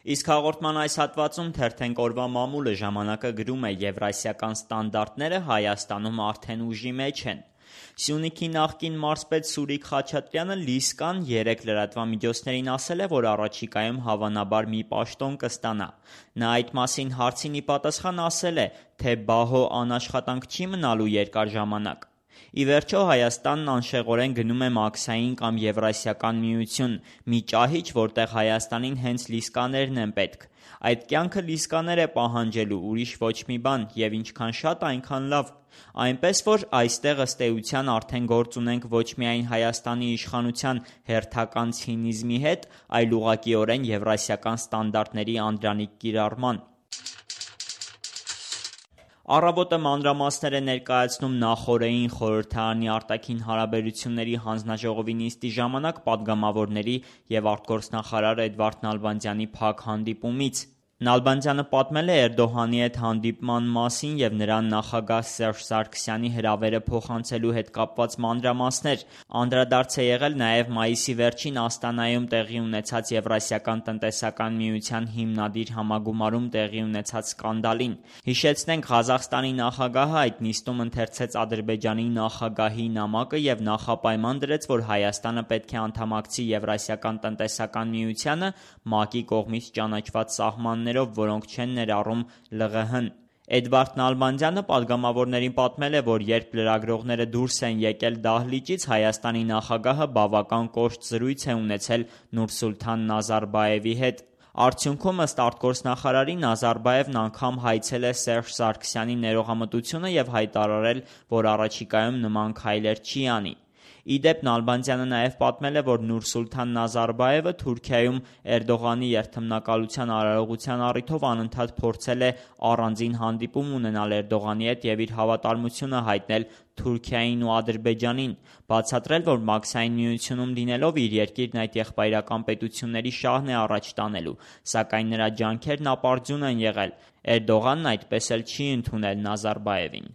Իսկ հաղորդման այս հատվածում թերթենք օրվա մամուլը ժամանակը գրում է եվրասիական ստանդարտները Հայաստանում արդեն ուժի մեջ են։ Սյունիքի նախկին մարզպետ Սուրիկ Խաչատրյանը Լիսկան 3 լրատվամիջոցներին ասել է, որ առաջիկայում հավանաբար մի պաշտոն կստանա։ Նա այդ մասին հարցին ի պատասխան ասել է, թե բահո անաշխատանք չի մնալու երկար ժամանակ։ Ի վերջո Հայաստանն անշեղորեն գնում է Մաքսային կամ Եվրասիական միություն, մի ճահիճ, որտեղ Հայաստանին հենց լիսկաներն են պետք։ Այդ կյանքը լիսկաներ է պահանջելու, ուրիշ ոչ մի բան, եւ ինչքան շատ, այնքան լավ։ Այնպես որ այստեղ ըստ էության արդեն գործ ունենք ոչ միայն Հայաստանի իշխանության հերթական ցինիզմի հետ, այլ ուղղակիորեն եվրասիական ստանդարտների անդրանիկ կիրառման։ Առավոտը մանրամասներ է ներկայացնում նախօրեին խորհրդարանի արտաքին հարաբերությունների հանձնաժողովի նիստի ժամանակ պատգամավորների և արտգործնախարար Էդվարդ Նալբանդյանի փակ հանդիպումից։ Նալբանդյանը պատմել է Էրդողանի հետ հանդիպման մասին և նրան նախագահ Սերժ Սարգսյանի հրավերը փոխանցելու հետ կապված մանրամասներ։ Անդրադարձ է եղել նաև մայիսի վերջին Աստանայում տեղի ունեցած Եվրասիական տնտեսական միության հիմնադիր համագումարում տեղի ունեցած սկանդալին։ Հիշեցնենք, Ղազախստանի նախագահը այդ նիստում ընթերցեց Ադրբեջանի նախագահի նամակը և նախապայման դրեց, որ Հայաստանը պետք է անդամակցի Եվրասիական տնտեսական միությանը ՄԱԿ-ի կողմից ճանաչված սահմաններով, որոնք չեն ներառում ԼՂՀ-ն։ Էդվարդ Նալբանդյանը պատգամավորներին պատմել է, որ երբ լրագրողները դուրս են եկել դահլիճից, Հայաստանի նախագահը բավական կոշտ զրույց է ունեցել Նուրսուլթան Նազարբաևի հետ։ Արդյունքում, ըստ արտգործնախարարի, Նազարբաևն անգամ հայցել է Սերժ Սարգսյանի ներողամտությունը և հայտարարել, որ առաջիկայում նման քայլեր չի անի։ Ի դեպ, Նալբանդյանը նաև պատմել է, որ Նուրսուլթան Նազարբաևը Թուրքիայում Էրդողանի երթմնակալության արարողության առիթով անընդհատ փորձել է առանձին հանդիպում ունենալ Էրդողանի հետ և իր հավատարմությունը հայտնել Թուրքիային ու Ադրբեջանին, բացատրել, որ Մաքսային միությունում լինելով իր երկիրն այդ եղբայրական պետությունների շահն է առաջ տանելու, սակայն նրա ջանքերն ապարդյուն են եղել։ Էրդողանն այդպես էլ չի ընդունել Նազարբաևին։